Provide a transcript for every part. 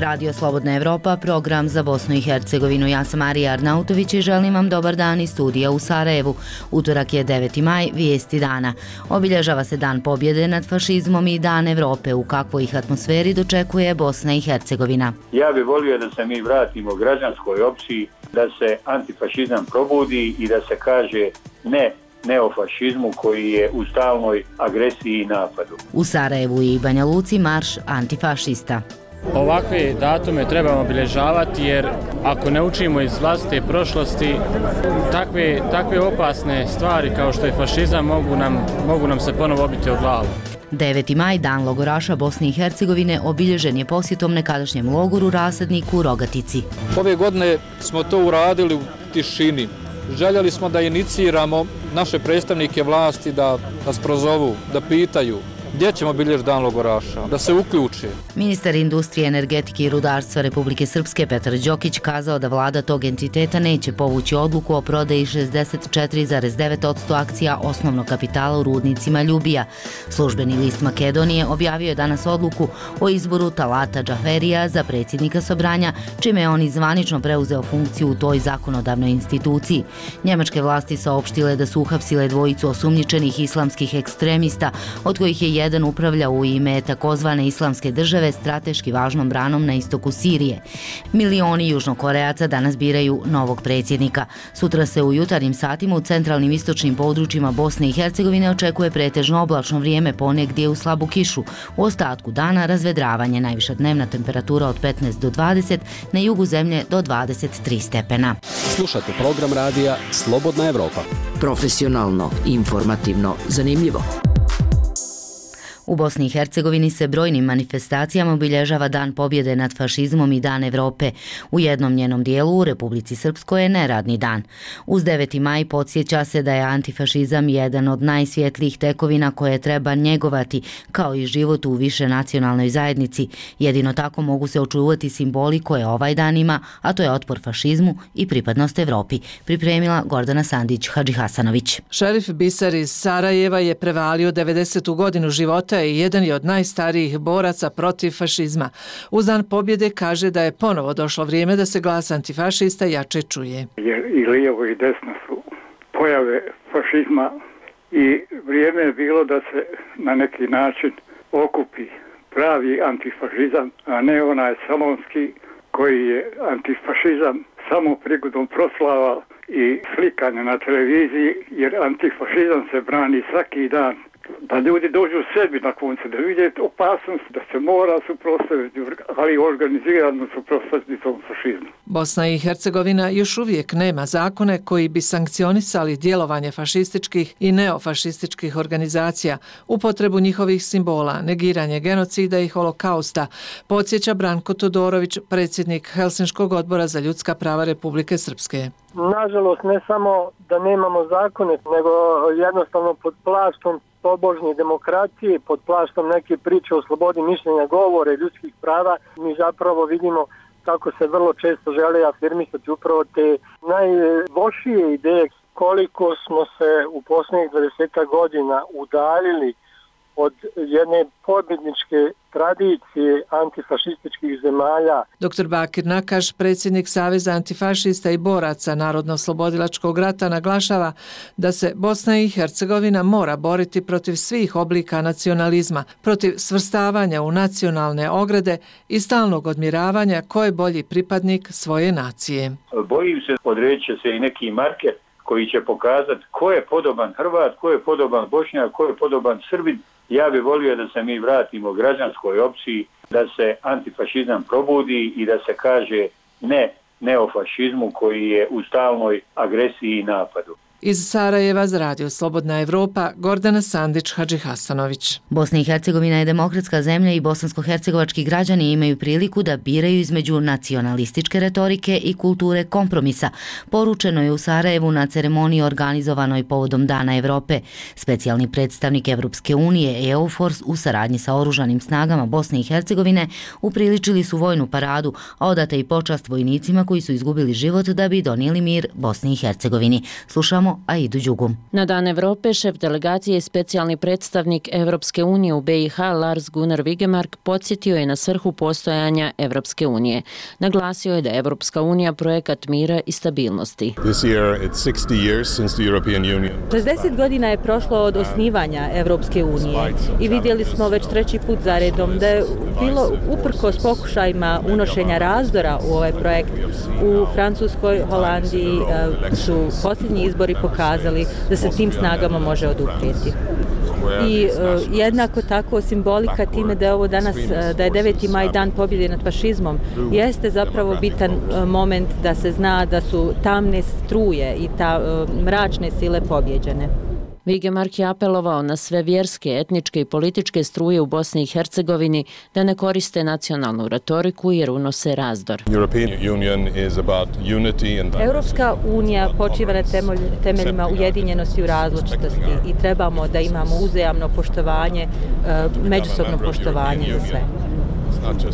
je Radio Slobodna Evropa, program za Bosnu i Hercegovinu. Ja sam Marija Arnautović i želim vam dobar dan iz studija u Sarajevu. Utorak je 9. maj, vijesti dana. Obilježava se Dan pobjede nad fašizmom i Dan Evrope. U kakvoj ih atmosferi dočekuje Bosna i Hercegovina? Ja bih volio da se mi vratimo građanskoj opciji, da se antifašizam probudi i da se kaže ne neofašizmu koji je u stalnoj agresiji i napadu. U Sarajevu i Banja Luci marš antifašista. Ovakve datume trebamo obilježavati jer ako ne učimo iz vlastite prošlosti, takve opasne stvari kao što je fašizam mogu nam se ponovo obiti o glavu. 9. maj, Dan logoraša Bosne i Hercegovine, obilježen je posjetom nekadašnjem logoru Rasadniku u Rogatici. Ove godine smo to uradili u tišini. Željeli smo da iniciramo naše predstavnike vlasti da nas prozovu, da pitaju gdje ćemo obilježiti Dan logoraša, da se uključe. Ministar industrije, energetike i rudarstva Republike Srpske Petar Đokić kazao da vlada tog entiteta neće povući odluku o prodaji 64,9% akcija osnovnog kapitala u rudnicima Ljubija. Službeni list Makedonije objavio je danas odluku o izboru Talata Džaferija za predsjednika Sobranja, čime je on zvanično preuzeo funkciju u toj zakonodavnoj instituciji. Njemačke vlasti saopštile da su uhapsile dvojicu osumnjičenih islamskih ekstremista, od kojih je jedan upravlja u ime takozvane islamske države strateški važnom branom na istoku Sirije. Milioni Južnokorejaca danas biraju novog predsjednika. Sutra se u jutarnjim satima u centralnim istočnim područjima Bosne i Hercegovine očekuje pretežno oblačno vrijeme, ponegdje u slabu kišu. U ostatku dana razvedravanje, najviša dnevna temperatura od 15 do 20, na jugu zemlje do 23 stepena. Slušate program radija Slobodna Evropa. Profesionalno, informativno, zanimljivo. U Bosni i Hercegovini se brojnim manifestacijama obilježava Dan pobjede nad fašizmom i Dan Evrope. U jednom njenom dijelu u Republici Srpskoj je neradni dan. Uz 9. maj podsjeća se da je antifašizam jedan od najsvjetlijih tekovina koje treba njegovati, kao i život u višenacionalnoj zajednici. Jedino tako mogu se očuvati simboli koje ovaj dan ima, a to je otpor fašizmu i pripadnost Evropi. Pripremila Gordana Sandić-Hadžihasanović. Šerif Bisar iz Sarajeva je prevalio 90. godinu života i jedan je od najstarijih boraca protiv fašizma. Uz Dan pobjede kaže da je ponovo došlo vrijeme da se glas antifašista jače čuje. Jer i lijevo i desno su pojave fašizma i vrijeme je bilo da se na neki način okupi pravi antifašizam, a ne onaj salonski koji je antifašizam samo prigodom proslava i slikanja na televiziji, jer antifašizam se brani svaki dan. Da ljudi dođu u sebi na koncu, da vide opasnost, da se mora suprotstaviti, ali organizirano suprotstaviti tom fašizmu. Bosna i Hercegovina još uvijek nema zakone koji bi sankcionisali djelovanje fašističkih i neofašističkih organizacija, upotrebu njihovih simbola, negiranje genocida i holokausta, podsjeća Branko Todorović, predsjednik Helsinškog odbora za ljudska prava Republike Srpske. Nažalost, ne samo da nemamo zakone, nego jednostavno pod plaštom tobožnje demokracije, pod plaštom neke priče o slobodi mišljenja, govore, ljudskih prava, mi zapravo vidimo kako se vrlo često žele afirmisati upravo te najlošije ideje. Koliko smo se u posljednjih 20 godina udaljili od jedne pobjedničke tradicije antifašističkih zemalja. Dr. Bakir Nakaš, predsjednik Saveza antifašista i boraca Narodno-oslobodilačkog rata, naglašava da se Bosna i Hercegovina mora boriti protiv svih oblika nacionalizma, protiv svrstavanja u nacionalne ograde i stalnog odmjeravanja ko je bolji pripadnik svoje nacije. Bojim se, odredit će se i neki marker koji će pokazati ko je podoban Hrvat, ko je podoban Bošnjak, ko je podoban Srbin. Ja bih volio da se mi vratimo građanskoj opciji, da se antifašizam probudi i da se kaže ne neofašizmu koji je u stalnoj agresiji i napadu. Iz Sarajeva za Radio Slobodna Evropa, Gordana Sandić-Hadžihasanović. Bosna i Hercegovina je demokratska zemlja i bosansko-hercegovački građani imaju priliku da biraju između nacionalističke retorike i kulture kompromisa. Poručeno je u Sarajevu na ceremoniji organizovanoj povodom Dana Evrope. Specijalni predstavnik Evropske unije EUFORS u saradnji sa oružanim snagama Bosne i Hercegovine upriličili su vojnu paradu, a odata i počast vojnicima koji su izgubili život da bi donijeli mir Bosni i Hercegovini. Slušamo Slušamo Aidu Đugu. Na Dan Evrope šef delegacije i specijalni predstavnik Evropske unije u BiH Lars Gunnar Vigemark podsjetio je na svrhu postojanja Evropske unije. Naglasio je da je Evropska unija projekat mira i stabilnosti. 60 godina je prošlo od osnivanja Evropske unije i vidjeli smo već treći put za redom da je bilo uprkos pokušajima unošenja razdora u ovaj projekt. U Francuskoj, Holandiji su posljednji izbori pokazali da se tim snagama može oduprijeti. I jednako tako simbolika time da je ovo danas, da je 9. maj dan pobjede nad fašizmom, jeste zapravo bitan moment da se zna da su tamne struje i mračne sile pobjeđene. Vigemark je apelovao na sve vjerske, etničke i političke struje u Bosni i Hercegovini da ne koriste nacionalnu retoriku jer unose razdor. Europska unija počiva na temeljima ujedinjenosti u različitosti i trebamo da imamo uzajamno poštovanje, međusobno poštovanje za sve.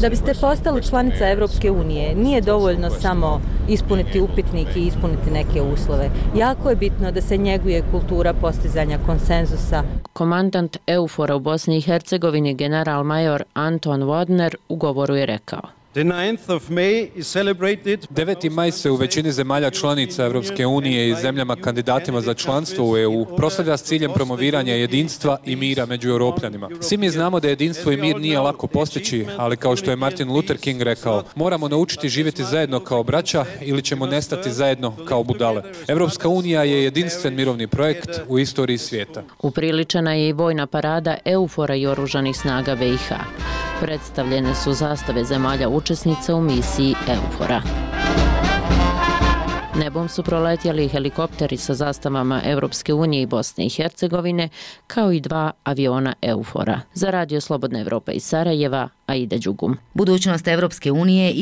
Da biste postali članica Evropske unije, nije dovoljno samo ispuniti upitnik i ispuniti neke uslove. Jako je bitno da se njeguje kultura postizanja konsenzusa. Komandant EUFOR-a u Bosni i Hercegovini general major Anton Vodner u govoru je rekao: 9. maj se u većini zemalja članica Evropske unije i zemljama kandidatima za članstvo u EU proslavlja s ciljem promoviranja jedinstva i mira među Europljanima. Svi mi znamo da jedinstvo i mir nije lako postići, ali kao što je Martin Luther King rekao, moramo naučiti živjeti zajedno kao braća ili ćemo nestati zajedno kao budale. Evropska unija je jedinstven mirovni projekt u istoriji svijeta. Upriličena je i vojna parada EUFOR-a i oružanih snaga BiH. Predstavljene su zastave zemalja učesnica u misiji EUFOR-a. Nebom su proletjeli helikopteri sa zastavama Evropske unije i Bosne i Hercegovine, kao i 2 aviona EUFOR-a. Za Radio Slobodna Evropa iz Sarajeva, Aida Đugum. Budućnost Evropske unije je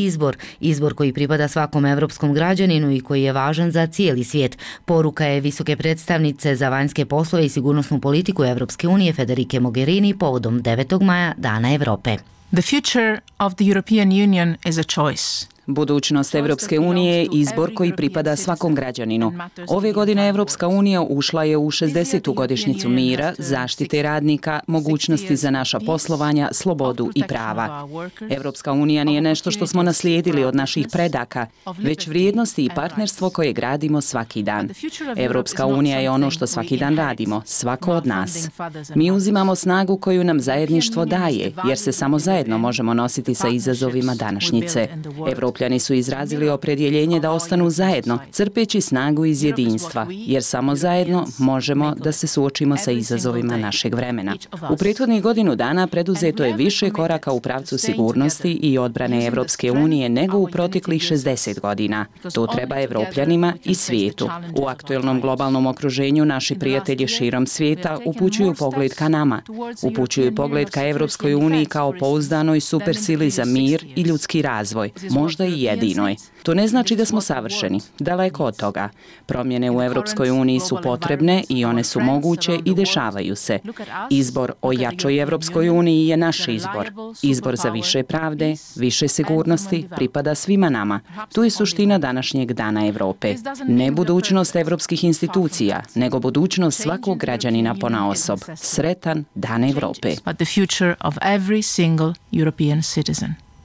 izbor koji pripada svakom evropskom građaninu i koji je važan za cijeli svijet. Poruka je visoke predstavnice za vanjske poslove i sigurnosnu politiku Evropske unije Federike Mogherini povodom 9. maja Dana Evrope. The future of the European Union is a choice. Budućnost Evropske unije je izbor koji pripada svakom građaninu. Ove godine Evropska unija ušla je u 60. godišnjicu mira, zaštite radnika, mogućnosti za naša poslovanja, slobodu i prava. Evropska unija nije nešto što smo naslijedili od naših predaka, već vrijednosti i partnerstvo koje gradimo svaki dan. Evropska unija je ono što svaki dan radimo, svako od nas. Mi uzimamo snagu koju nam zajedništvo daje, jer se samo zajedno možemo nositi sa izazovima današnjice. Evropljani su izrazili opredjeljenje da ostanu zajedno, crpeći snagu iz jedinstva, jer samo zajedno možemo da se suočimo sa izazovima našeg vremena. U prethodnih godinu dana preduzeto je više koraka u pravcu sigurnosti i odbrane Evropske unije nego u proteklih 60 godina. To treba Evropljanima i svijetu. U aktuelnom globalnom okruženju naši prijatelji širom svijeta upućuju pogled ka nama. Upućuju pogled ka Evropskoj uniji kao pouzdanoj supersili za mir i ljudski razvoj, možda i jedinoj. To ne znači da smo savršeni, daleko od toga. Promjene u Evropskoj uniji su potrebne i one su moguće i dešavaju se. Izbor o jačoj Evropskoj uniji je naš izbor. Izbor za više pravde, više sigurnosti pripada svima nama. Tu je suština današnjeg Dana Evrope. Ne budućnost evropskih institucija, nego budućnost svakog građanina ponaosob. Sretan Dan Evrope.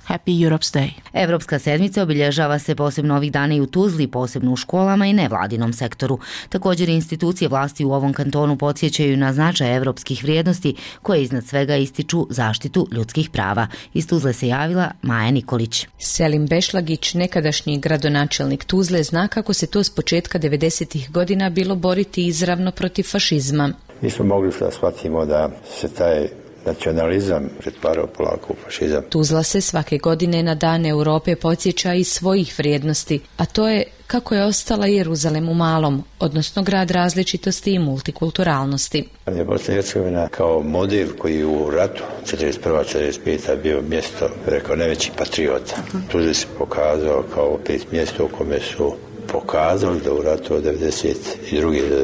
Happy Europe's Day. Evropska sedmica obilježava se posebno ovih dana i u Tuzli, posebno u školama i nevladinom sektoru. Također institucije vlasti u ovom kantonu podsjećaju na značaj evropskih vrijednosti koje iznad svega ističu zaštitu ljudskih prava. Iz Tuzle se javila Maja Nikolić. Selim Bešlagić, nekadašnji gradonačelnik Tuzle, zna kako se to s početka 90-ih godina bilo boriti izravno protiv fašizma. Mi smo mogli da shvatimo da se taj nacionalizam pretvarao polako u fašizam. Tuzla se svake godine na Dan Europe podsjeća iz svojih vrijednosti, a to je kako je ostala Jeruzalem u malom, odnosno grad različitosti i multikulturalnosti. Bosna i Hercegovina kao model koji u ratu 1941-1945 bio mjesto, rekao, najvećih patriota. Tuzla se pokazao kao opet mjesto u kome su pokazali da u ratu od 1992. do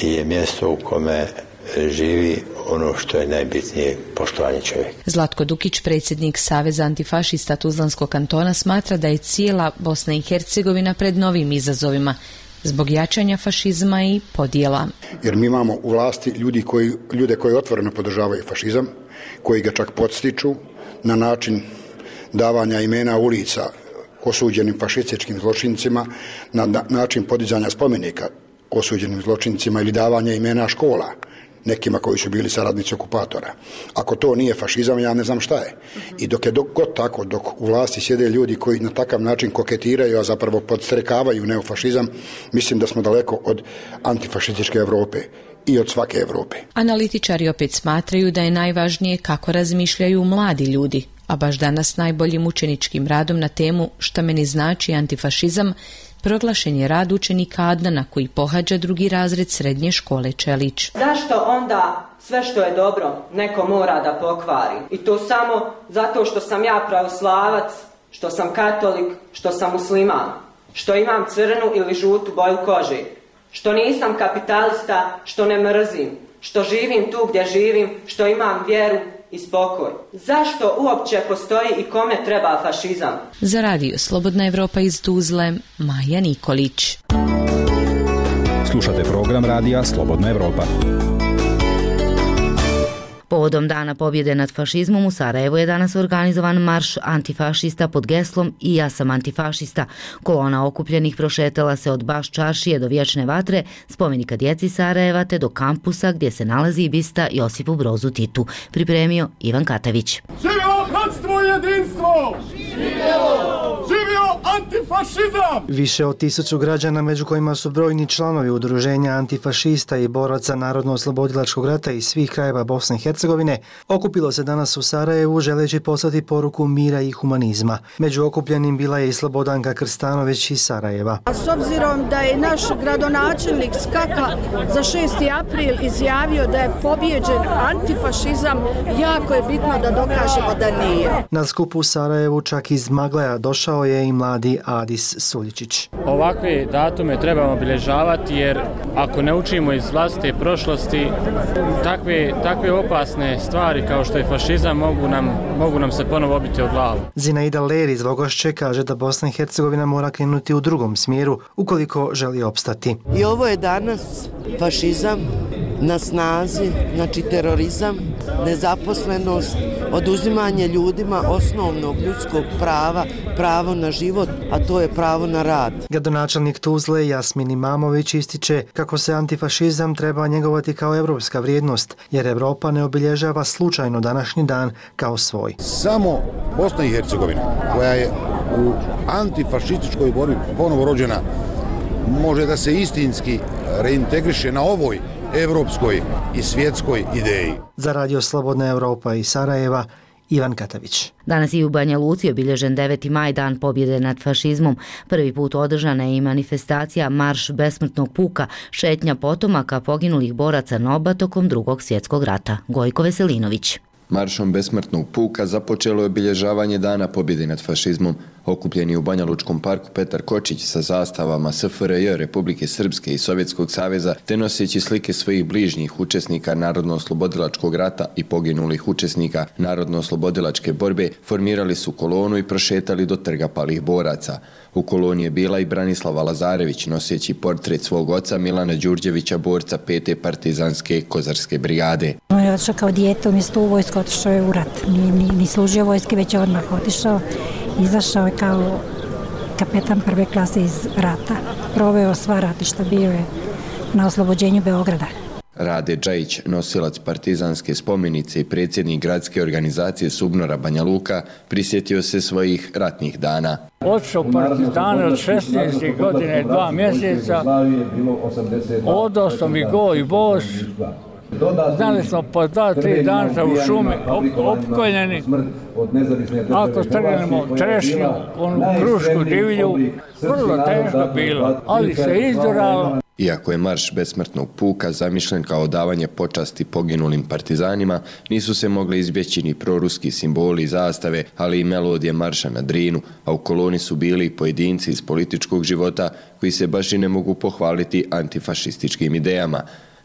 1995. je mjesto u kome živi ono što je najbitnije, poštovanje čovjeka. Zlatko Dukić, predsjednik Saveza antifašista Tuzlanskog kantona, smatra da je cijela Bosna i Hercegovina pred novim izazovima zbog jačanja fašizma i podjela. Jer mi imamo u vlasti ljude koji otvoreno podržavaju fašizam, koji ga čak podstiču na način davanja imena ulica osuđenim fašističkim zločincima, na način podizanja spomenika osuđenim zločincima ili davanja imena škola nekima koji su bili saradnici okupatora. Ako to nije fašizam, ja ne znam šta je. I dok je god tako, dok u vlasti sjede ljudi koji na takav način koketiraju, a zapravo podstrekavaju neofašizam, mislim da smo daleko od antifašističke Europe i od svake Europe. Analitičari opet smatraju da je najvažnije kako razmišljaju mladi ljudi, a baš danas najboljim učeničkim radom na temu Šta meni znači antifašizam proglašen je rad učenika Adnana koji pohađa 2. razred srednje škole Čelić. Zašto onda sve što je dobro neko mora da pokvari? I to samo zato što sam ja pravoslavac, što sam katolik, što sam musliman, što imam crnu ili žutu boju kože, što nisam kapitalista, što ne mrzim, što živim tu gdje živim, što imam vjeru i spokoj. Zašto uopće postoji i kome treba fašizam? Za radio Slobodna Evropa iz Tuzle, Maja Nikolić. Slušate program radija Slobodna Evropa. Povodom Dana pobjede nad fašizmom u Sarajevu je danas organizovan marš antifašista pod geslom I ja sam antifašista. Kolona okupljenih prošetala se od Baš čaršije do Vječne vatre, spomenika djeci Sarajeva te do kampusa gdje se nalazi i bista Josipu Brozu Titu. Pripremio Ivan Katavić. Živio bratstvo i jedinstvo! Živio antifašizam! Više od 1000 građana, među kojima su brojni članovi udruženja antifašista i boraca Narodno-oslobodilačkog rata iz svih krajeva Bosne i Hercegovine, okupilo se danas u Sarajevu želeći poslati poruku mira i humanizma. Među okupljenim bila je i Slobodanka Krstanović iz Sarajeva. A s obzirom da je naš gradonačelnik Skaka za 6. april izjavio da je pobjeđen antifašizam, jako je bitno da dokažemo da nije. Na skupu u Sarajevu čak iz Magleja došao je i mladi Adis Suljičić. Ovakve datume trebamo obilježavati jer ako ne učimo iz vlastite prošlosti, takve opasne stvari kao što je fašizam mogu nam se ponovo obiti o glavu. Zinaida Ler iz Vogošće kaže da Bosna i Hercegovina mora krenuti u drugom smjeru ukoliko želi opstati. I ovo je danas fašizam na snazi, znači terorizam, nezaposlenost, oduzimanje ljudima osnovnog ljudskog prava, pravo na život, a to je pravo na rad. Gradonačelnik Tuzle Jasmin Imamović ističe kako se antifašizam treba njegovati kao evropska vrijednost, jer Evropa ne obilježava slučajno današnji dan kao svoj. Samo Bosna i Hercegovina, koja je u antifašističkoj borbi ponovo rođena, može da se istinski reintegriše na ovoj evropskoj i svjetskoj ideji. Za radio Slobodna Evropa iz Sarajeva, Ivan Katavić. Danas i u Banja Luci obilježen 9. maj, dan pobjede nad fašizmom. Prvi put održana je i manifestacija Marš besmrtnog puka, šetnja potomaka poginulih boraca NOB-a tokom Drugog svjetskog rata. Gojko Veselinović. Maršom besmrtnog puka započelo je obilježavanje dana pobjede nad fašizmom. Okupljeni u Banja Lučkom parku Petar Kočić sa zastavama SFRJ, Republike Srpske i Sovjetskog saveza, te noseći slike svojih bližnjih učesnika Narodno-oslobodilačkog rata i poginulih učesnika Narodno-oslobodilačke borbe, formirali su kolonu i prošetali do trga palih boraca. U koloni je bila i Branislava Lazarević, noseći portret svog oca Milana Đurđevića, borca 5. partizanske kozarske brigade. On je otišao kao dijete, umjesto u vojsku otišao je u rat. Ni služio vojske, već je odmah otišao. Izašao je kao kapetan prve klase iz rata. Proveo sva ratišta, bio je na oslobođenju Beograda. Rade Džajić, nosilac partizanske spomenice i predsjednik gradske organizacije Subnora Banja Luka, prisjetio se svojih ratnih dana. Otišao partizane od 16. godine, 2 mjeseca, odao sam i go i bos. Znali smo po 2-3 dana u šumi opkoljeni. Ako strgnemo trešnju, onu krušku divlju, vrlo teško bilo, ali se izduralo. Iako je marš besmrtnog puka zamišljen kao davanje počasti poginulim partizanima, nisu se mogli izbjeći ni proruski simboli i zastave, ali i melodije marša na Drinu, a u koloni su bili i pojedinci iz političkog života koji se baš i ne mogu pohvaliti antifašističkim idejama.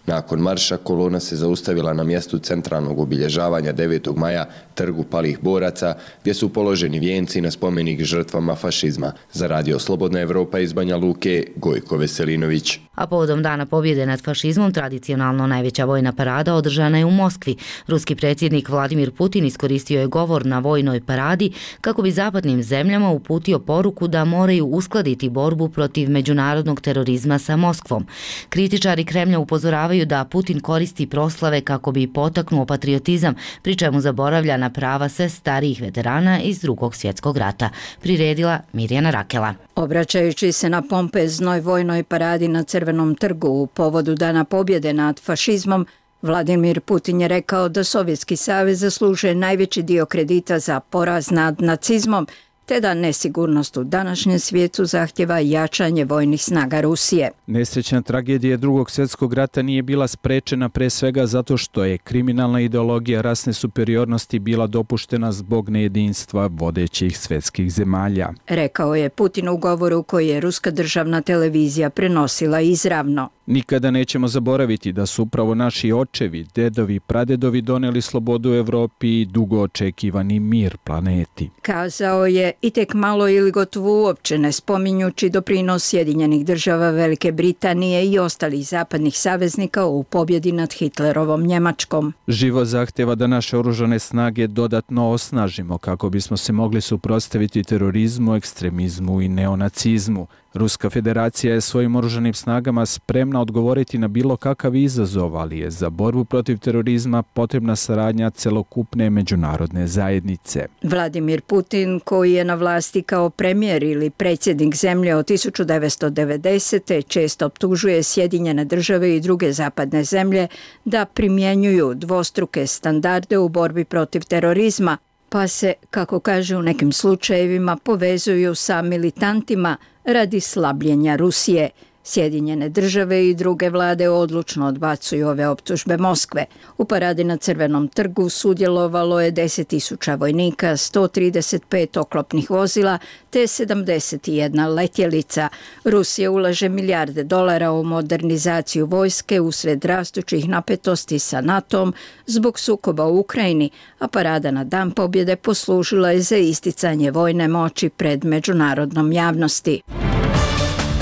Nakon marša kolona se zaustavila na mjestu centralnog obilježavanja 9. maja, trgu palih boraca, gdje su položeni vijenci na spomenik žrtvama fašizma. Za Radio Slobodna Evropa iz Banja Luke, Gojko Veselinović. A povodom Dana pobjede nad fašizmom, tradicionalno najveća vojna parada održana je u Moskvi. Ruski predsjednik Vladimir Putin iskoristio je govor na vojnoj paradi kako bi zapadnim zemljama uputio poruku da moraju uskladiti borbu protiv međunarodnog terorizma sa Moskvom. Kritičari Kremlja upozoravaju da Putin koristi proslave kako bi potaknuo patriotizam, pri čemu zaboravlja na prava sve starijih veterana iz Drugog svjetskog rata. Priredila Mirjana Rakela. Obraćajući se na pompeznoj vojnoj paradi na Crvenom trgu u povodu Dana pobjede nad fašizmom, Vladimir Putin je rekao da Sovjetski savez zaslužuje najveći dio kredita za poraz nad nacizmom, te da nesigurnost u današnjem svijetu zahtjeva jačanje vojnih snaga Rusije. Nesrećna tragedija Drugog svjetskog rata nije bila sprečena pre svega zato što je kriminalna ideologija rasne superiornosti bila dopuštena zbog nejedinstva vodećih svjetskih zemalja. Rekao je Putin u govoru koji je ruska državna televizija prenosila izravno. Nikada nećemo zaboraviti da su upravo naši očevi, dedovi, pradedovi doneli slobodu Evropi i dugo očekivani mir planeti. Kazao je i tek malo ili gotovo uopće ne spominjući doprinos Sjedinjenih država, Velike Britanije i ostalih zapadnih saveznika u pobjedi nad Hitlerovom Njemačkom. Život zahtjeva da naše oružane snage dodatno osnažimo kako bismo se mogli suprotstaviti terorizmu, ekstremizmu i neonacizmu. Ruska federacija je svojim oružanim snagama spremna odgovoriti na bilo kakav izazov, ali je za borbu protiv terorizma potrebna saradnja celokupne međunarodne zajednice. Vladimir Putin, koji je na vlasti kao premijer ili predsjednik zemlje od 1990. često optužuje Sjedinjene države i druge zapadne zemlje da primjenjuju dvostruke standarde u borbi protiv terorizma, pa se, kako kaže u nekim slučajevima, povezuju sa militantima radi slabljenja Rusije. Sjedinjene države i druge vlade odlučno odbacuju ove optužbe Moskve. U paradi na Crvenom trgu sudjelovalo je 10.000 vojnika, 135 oklopnih vozila te 71 letjelica. Rusija ulaže milijarde dolara u modernizaciju vojske usred rastućih napetosti sa NATO-om zbog sukoba u Ukrajini, a parada na Dan pobjede poslužila je za isticanje vojne moći pred međunarodnom javnosti.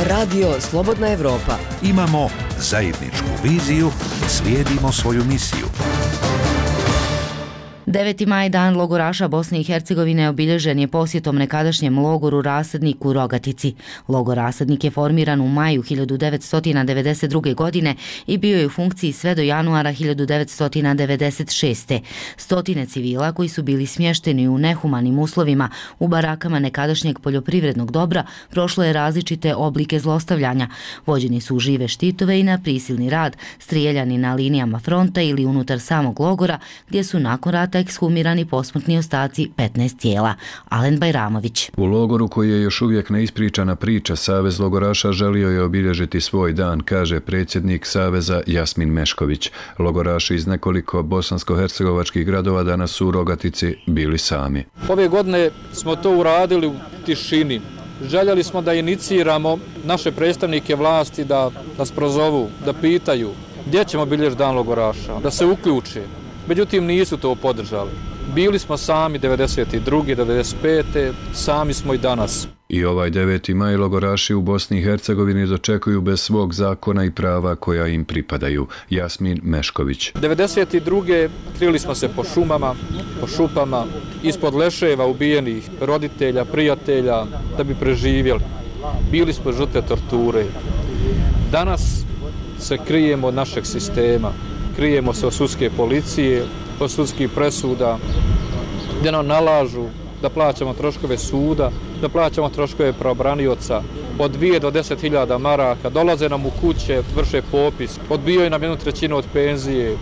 Radio Slobodna Evropa. Imamo zajedničku viziju, slijedimo svoju misiju. 9. maj, dan logoraša Bosne i Hercegovine, obilježen je posjetom nekadašnjem logoru Rasadnik u Rogatici. Logor Rasadnik je formiran u maju 1992. godine i bio je u funkciji sve do januara 1996. Stotine civila koji su bili smješteni u nehumanim uslovima u barakama nekadašnjeg poljoprivrednog dobra prošlo je različite oblike zlostavljanja. Vođeni su u žive štitove i na prisilni rad, strijeljani na linijama fronta ili unutar samog logora, gdje su nakon rata ekshumirani posmrtni ostaci 15 tijela. Alen Bajramović. U logoru, koji je još uvijek neispričana priča, Savez logoraša želio je obilježiti svoj dan, kaže predsjednik Saveza Jasmin Mešković. Logoraši iz nekoliko bosansko-hercegovačkih gradova danas su u Rogatici bili sami. Ove godine smo to uradili u tišini. Željeli smo da iniciramo naše predstavnike vlasti da nas prozovu, da pitaju gdje ćemo obilježiti dan logoraša, da se uključe. Međutim, nisu to podržali. Bili smo sami 92. 95. Sami smo i danas. I ovaj 9. maj logoraši u Bosni i Hercegovini dočekuju bez svog zakona i prava koja im pripadaju. Jasmin Mešković. 92. krili smo se po šumama, po šupama, ispod leševa ubijenih roditelja, prijatelja, da bi preživjeli. Bili smo žrtve torture. Danas se krijemo od našeg sistema. Krijemo se od sudske policije, od sudskih presuda, gdje nam nalažu da plaćamo troškove suda, da plaćamo troškove pravobranioca, od 2 do 10.000 maraka, dolaze nam u kuće, vrše popis, odbijaju nam 1/3 od penzije,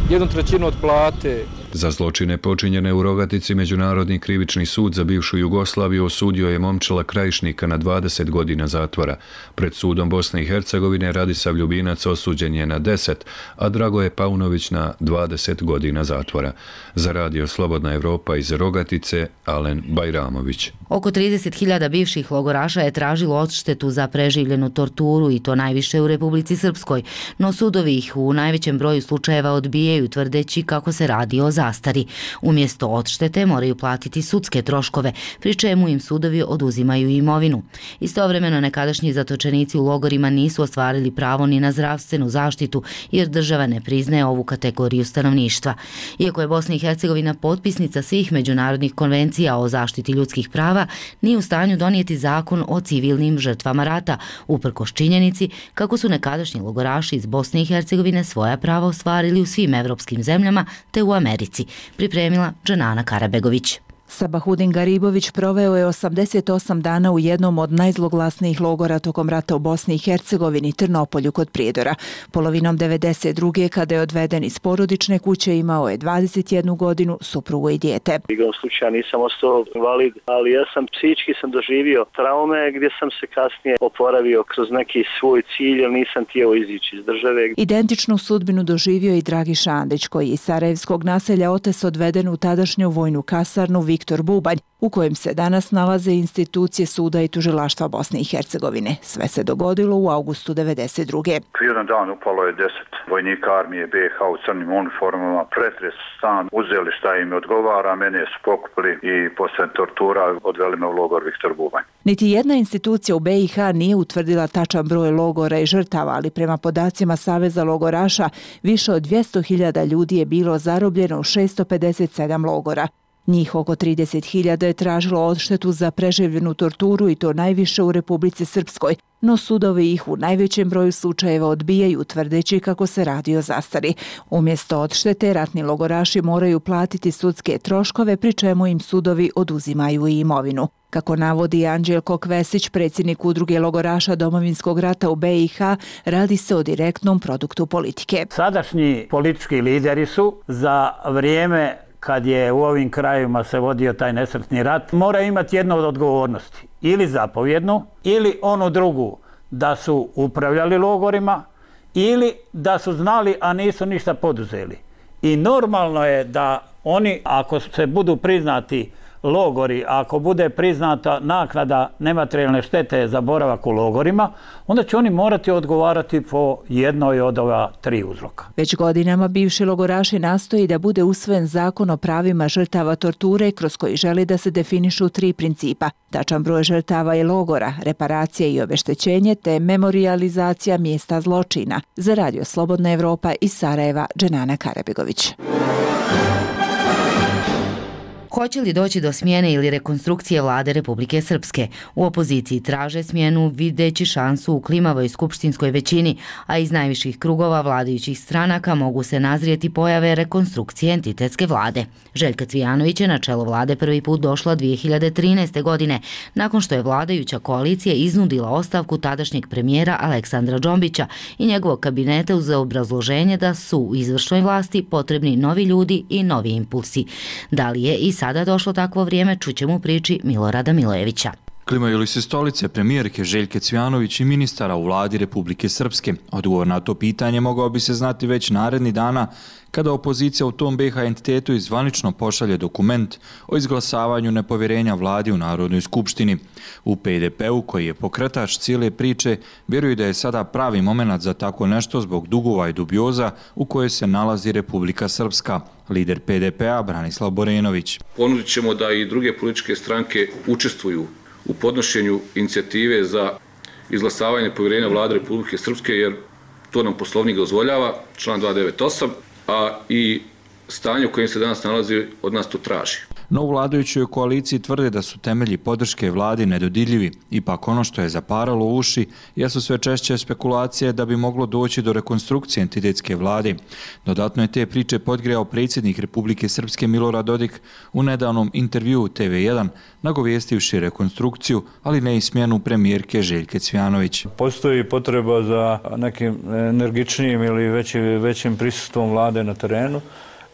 1/3 od plate, Za zločine počinjene u Rogatici Međunarodni krivični sud za bivšu Jugoslaviju osudio je Momčila Krajišnika na 20 godina zatvora. Pred sudom Bosne i Hercegovine Radisav Ljubinac osuđen je na 10, a Dragoje Paunović na 20 godina zatvora. Za Radio Slobodna Evropa iz Rogatice, Alen Bajramović. Oko 30.000 bivših logoraša je tražilo odštetu za preživljenu torturu i to najviše u Republici Srpskoj, no sudovi ih u najvećem broju slučajeva odbijaju tvrdeći kako se radi o zastari. Umjesto odštete moraju platiti sudske troškove, pri čemu im sudovi oduzimaju imovinu. Istovremeno nekadašnji zatočenici u logorima nisu ostvarili pravo ni na zdravstvenu zaštitu jer država ne priznaje ovu kategoriju stanovništva. Iako je Bosna i Hercegovina potpisnica svih međunarodnih konvencija o zaštiti ljudskih prava, nije u stanju donijeti zakon o civilnim žrtvama rata, uprkos činjenici kako su nekadašnji logoraši iz Bosne i Hercegovine svoja prava ostvarili u svim evropskim zemljama te u Americi, pripremila Dženana Karabegović. Sabahudin Garibović proveo je 88 dana u jednom od najzloglasnijih logora tokom rata u Bosni i Hercegovini, Trnopolju kod Prijedora. Polovinom 92. kada je odveden iz porodične kuće, imao je 21 godinu, suprugu i dijete. Igrom slučaja nisam ostao invalid, ali ja sam psihički doživio traume gdje sam se kasnije oporavio kroz neki svoj cilj, jer nisam htio izići iz države. Identičnu sudbinu doživio i Dragiša Andić, koji je iz Sarajevskog naselja Otes odveden u tadašnju vojnu kasarnu Viktor Bubanj, u kojem se danas nalaze institucije suda i tužilaštva Bosne i Hercegovine. Sve se dogodilo u augustu 92. Jedan dan upalo je 10 vojnika armije BiH u crnim uniformama, pretres stan, uzeli šta im odgovara, mene su pokupili i posle tortura odveli me u logor Viktor Bubanj. Niti jedna institucija u BiH nije utvrdila tačan broj logora i žrtava, ali prema podacima Saveza logoraša, više od 200.000 ljudi je bilo zarobljeno u 657 logora. Njih oko 30.000 je tražilo odštetu za preživljenu torturu i to najviše u Republici Srpskoj, no sudovi ih u najvećem broju slučajeva odbijaju tvrdeći kako se radi o zastari. Umjesto odštete, ratni logoraši moraju platiti sudske troškove, pri čemu im sudovi oduzimaju i imovinu. Kako navodi Anđelko Kvesić, predsjednik udruge logoraša Domovinskog rata u BiH, radi se o direktnom produktu politike. Sadašnji politički lideri su za vrijeme kad je u ovim krajevima se vodio taj nesretni rat, mora imati jednu od odgovornosti. Ili zapovjednu, ili onu drugu, da su upravljali logorima, ili da su znali, a nisu ništa poduzeli. I normalno je da oni, ako se budu priznati logori, ako bude priznata naknada nematerijalne štete za boravak u logorima, onda će oni morati odgovarati po jednoj od ova 3 uzroka. Već godinama bivši logoraši nastoji da bude usvojen zakon o pravima žrtava torture kroz koji želi da se definišu 3 principa. Tačan broj žrtava i logora, reparacije i obeštećenje te memorijalizacija mjesta zločina. Za Radio Slobodna Evropa iz Sarajeva, Dženana Karabegović. Hoće li doći do smjene ili rekonstrukcije vlade Republike Srpske? U opoziciji traže smjenu videći šansu u klimavoj skupštinskoj većini, a iz najviših krugova vladajućih stranaka mogu se nazrijeti pojave rekonstrukcije entitetske vlade. Željka Cvijanović je na čelo vlade prvi put došla 2013. godine, nakon što je vladajuća koalicija iznudila ostavku tadašnjeg premijera Aleksandra Džombića i njegovog kabineta uz obrazloženje da su u izvršnoj vlasti potrebni novi ljudi i novi impulsi. Da li je i sada došlo takvo vrijeme, čućemo u priči Milorada Milojevića. Klimaju li se stolice premijerke Željke Cvijanović i ministara u vladi Republike Srpske? Odgovor na to pitanje mogao bi se znati već naredni dana kada opozicija u tom BiH entitetu zvanično pošalje dokument o izglasavanju nepovjerenja vladi u Narodnoj skupštini. U PDP-u, koji je pokretač cijele priče, vjeruju da je sada pravi moment za tako nešto zbog dugova i dubioza u kojoj se nalazi Republika Srpska. Lider PDP-a Branislav Borenović. Ponudit ćemo da i druge političke stranke učestvuju u podnošenju inicijative za izglasavanje povjerenja vlade Republike Srpske, jer to nam Poslovnik dozvoljava, član 298, a i stanje u kojem se danas nalazi od nas to traži. No u vladajućoj koaliciji tvrde da su temelji podrške vladi nedodirljivi. Ipak ono što je zaparalo uši jesu sve češće spekulacije da bi moglo doći do rekonstrukcije entitetske vlade. Dodatno je te priče podgrejao predsjednik Republike Srpske Milorad Dodik u nedavnom intervjuu TV1, nagovjestivši rekonstrukciju, ali ne i smjenu premijerke Željke Cvijanović. Postoji potreba za nekim energičnijim ili većim prisustvom vlade na terenu.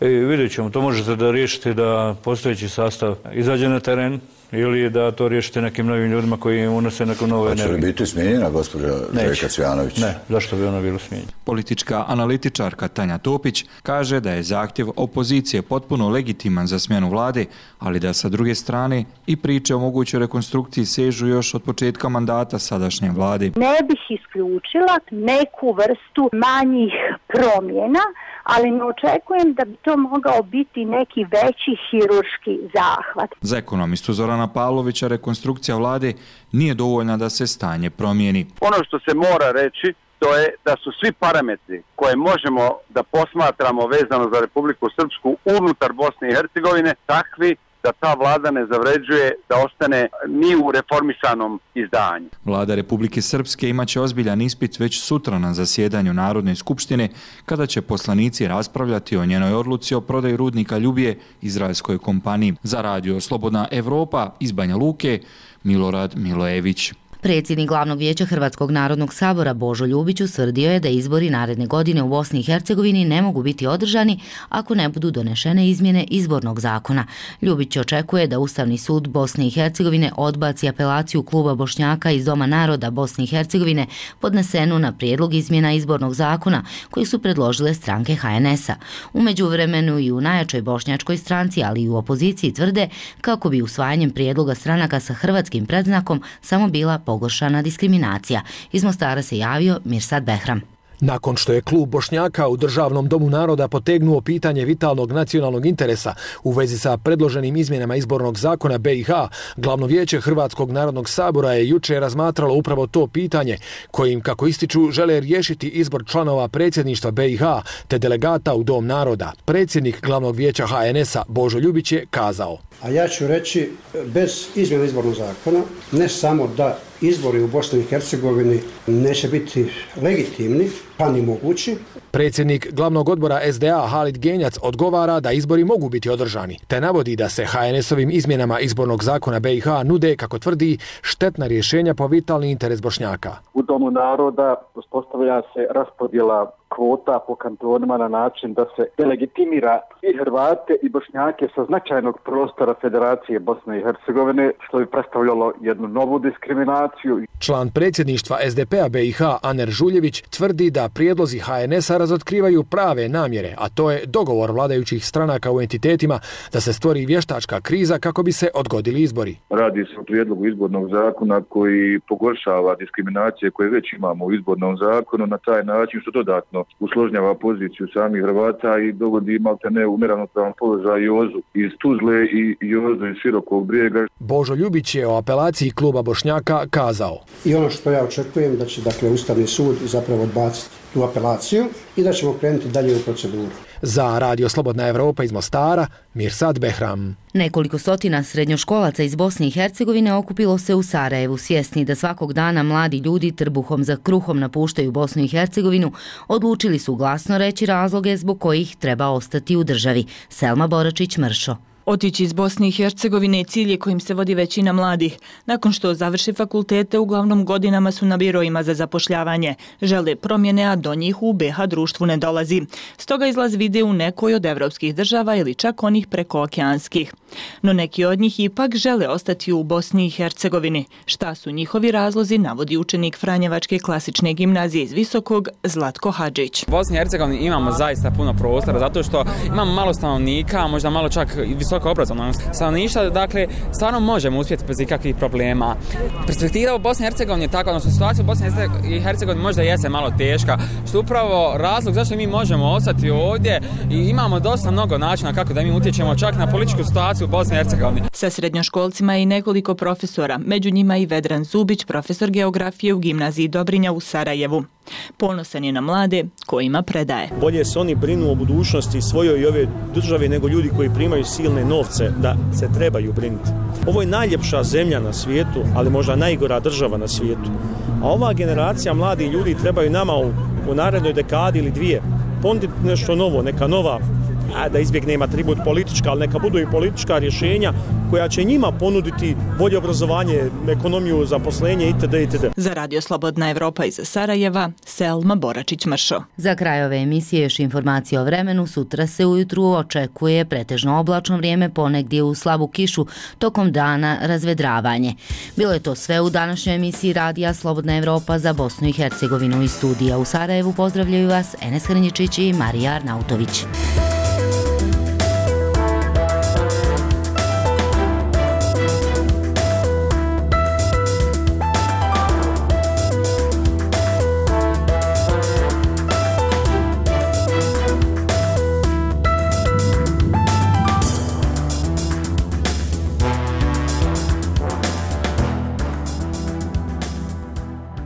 Vidjet ćemo, to možete da riješite da postojeći sastav izađe na teren ili da to riješite nekim novim ljudima koji unose neku novu energiju. Hoće li biti smijenjena gospođa Željka Cvjanović? Ne, zašto bi ona bila smijenjena? Politička analitičarka Tanja Topić kaže da je zahtjev opozicije potpuno legitiman za smjenu vlade, ali da sa druge strane i priče o mogućoj rekonstrukciji sežu još od početka mandata sadašnje vlade. Ne bih isključila neku vrstu manjih promjena, ali ne očekujem da bi to mogao biti neki veći hirurški zahvat. Za ekonomistu Zorana Pavlovića rekonstrukcija vlade nije dovoljna da se stanje promijeni. Ono što se mora reći to je da su svi parametri koje možemo da posmatramo vezano za Republiku Srpsku unutar Bosne i Hercegovine takvi da ta vlada ne zavređuje da ostane ni u reformisanom izdanju. Vlada Republike Srpske imaće ozbiljan ispit već sutra na zasjedanju Narodne skupštine, kada će poslanici raspravljati o njenoj odluci o prodaji rudnika Ljubije izraelskoj kompaniji. Za radio Slobodna Evropa iz Banja Luke, Milorad Milojević. Predsjednik Glavnog vijeća Hrvatskog narodnog sabora Božo Ljubić utvrdio je da izbori naredne godine u Bosni i Hercegovini ne mogu biti održani ako ne budu donešene izmjene izbornog zakona. Ljubić očekuje da Ustavni sud Bosne i Hercegovine odbaci apelaciju kluba Bošnjaka iz Doma naroda Bosne i Hercegovine podnesenu na prijedlog izmjena izbornog zakona koji su predložile stranke HNS-a. U međuvremenu i u najjačoj bošnjačkoj stranci, ali i u opoziciji tvrde kako bi usvajanjem prijedloga stranaka sa hrvatskim predznakom samo bila pogoršana diskriminacija. Iz Mostara se javio Mirsad Behram. Nakon što je klub Bošnjaka u Državnom domu naroda potegnuo pitanje vitalnog nacionalnog interesa u vezi sa predloženim izmjenama izbornog zakona BiH, Glavno vijeće Hrvatskog narodnog sabora je juče razmatralo upravo to pitanje, kojim, kako ističu, žele riješiti izbor članova predsjedništva BiH te delegata u Dom naroda. Predsjednik Glavnog vijeća HNS-a Božo Ljubić je kazao: A ja ću reći, bez izmjena izbornog zakona, ne samo da izbori u Bosni i Hercegovini neće biti legitimni, pa ni mogući. Predsjednik Glavnog odbora SDA Halid Genjac odgovara da izbori mogu biti održani, te navodi da se HNS-ovim izmjenama izbornog zakona BiH nude, kako tvrdi, štetna rješenja po vitalni interes Bošnjaka. U Domu naroda uspostavlja se raspodjela kvota po kantonima na način da se delegitimira i Hrvate i Bošnjake sa značajnog prostora Federacije Bosne i Hercegovine, što bi predstavljalo jednu novu diskriminaciju. Član predsjedništva SDP-a BiH Aner Žuljević tvrdi da prijedlozi HNS-a razotkrivaju prave namjere, a to je dogovor vladajućih stranaka u entitetima da se stvori vještačka kriza kako bi se odgodili izbori. Radi se o prijedlogu izbornog zakona koji pogoršava diskriminacije koje već imamo u izbornom zakonu na taj način što dodatno usložnjava poziciju samih Hrvata i dogodi maltene u neravnopravan položaj Jozu iz Tuzle i Jozu iz Širokog Brijega. Božo Ljubić je o apelaciji kluba Bošnjaka kazao: I ono što ja očekujem da će Ustavni sud zapravo odbaciti tu apelaciju i da ćemo krenuti dalje u proceduru. Za Radio Slobodna Evropa iz Mostara, Mirsad Behram. Nekoliko stotina srednjoškolaca iz Bosne i Hercegovine okupilo se u Sarajevu, svjesni da svakog dana mladi ljudi trbuhom za kruhom napuštaju Bosnu i Hercegovinu, odlučili su glasno reći razloge zbog kojih treba ostati u državi. Selma Boračić-Mršo. Otići iz Bosne i Hercegovine cilj je kojim se vodi većina mladih. Nakon što završi fakultete, uglavnom godinama su na birojima za zapošljavanje. Žele promjene, a do njih u BiH društvu ne dolazi. Stoga izlaz vide u nekoj od evropskih država ili čak onih prekookeanskih. No neki od njih ipak žele ostati u Bosni i Hercegovini. Šta su njihovi razlozi, navodi učenik Franjevačke klasične gimnazije iz Visokog Zlatko Hadžić. U Bosni i Hercegovini imamo zaista puno prostora zato što imamo malo stanovnika, možda malo čak i visoko obrazovnog stanovništva, dakle stvarno možemo uspjeti bez ikakvih problema. Perspektiva u Bosni i Hercegovini je takva, odnosno situacija u Bosni i Hercegovini možda jeste malo teška, što upravo razlog zašto mi možemo ostati ovdje i imamo dosta mnogo načina kako da mi utječemo čak na političku situaciju u Bosni i Hercegovini. Sa srednjoškolcima i nekoliko profesora, među njima i Vedran Zubić, profesor geografije u gimnaziji Dobrinja u Sarajevu. Ponosan je na mlade kojima predaje. Bolje se oni brinu o budućnosti svojoj i ove države nego ljudi koji primaju silne novce da se trebaju brinuti. Ovo je najljepša zemlja na svijetu, ali možda najgora država na svijetu. A ova generacija mladih ljudi trebaju nama u narednoj dekadi ili dvije ponuditi nešto novo, neka nova da izbjegnemo atribut politička, ali neka budu i politička rješenja koja će njima ponuditi bolje obrazovanje, ekonomiju, zaposlenje itd. itd. Za Radio Slobodna Evropa iz Sarajeva, Selma Boračić-Mršo. Za kraj ove emisije još informacije o vremenu. Sutra se ujutru očekuje pretežno oblačno vrijeme, ponegdje u slabu kišu, tokom dana razvedravanje. Bilo je to sve u današnjoj emisiji Radija Slobodna Evropa za Bosnu i Hercegovinu. Iz studija u Sarajevu pozdravljaju vas Enes Hrnjičić i Marija Arnautović.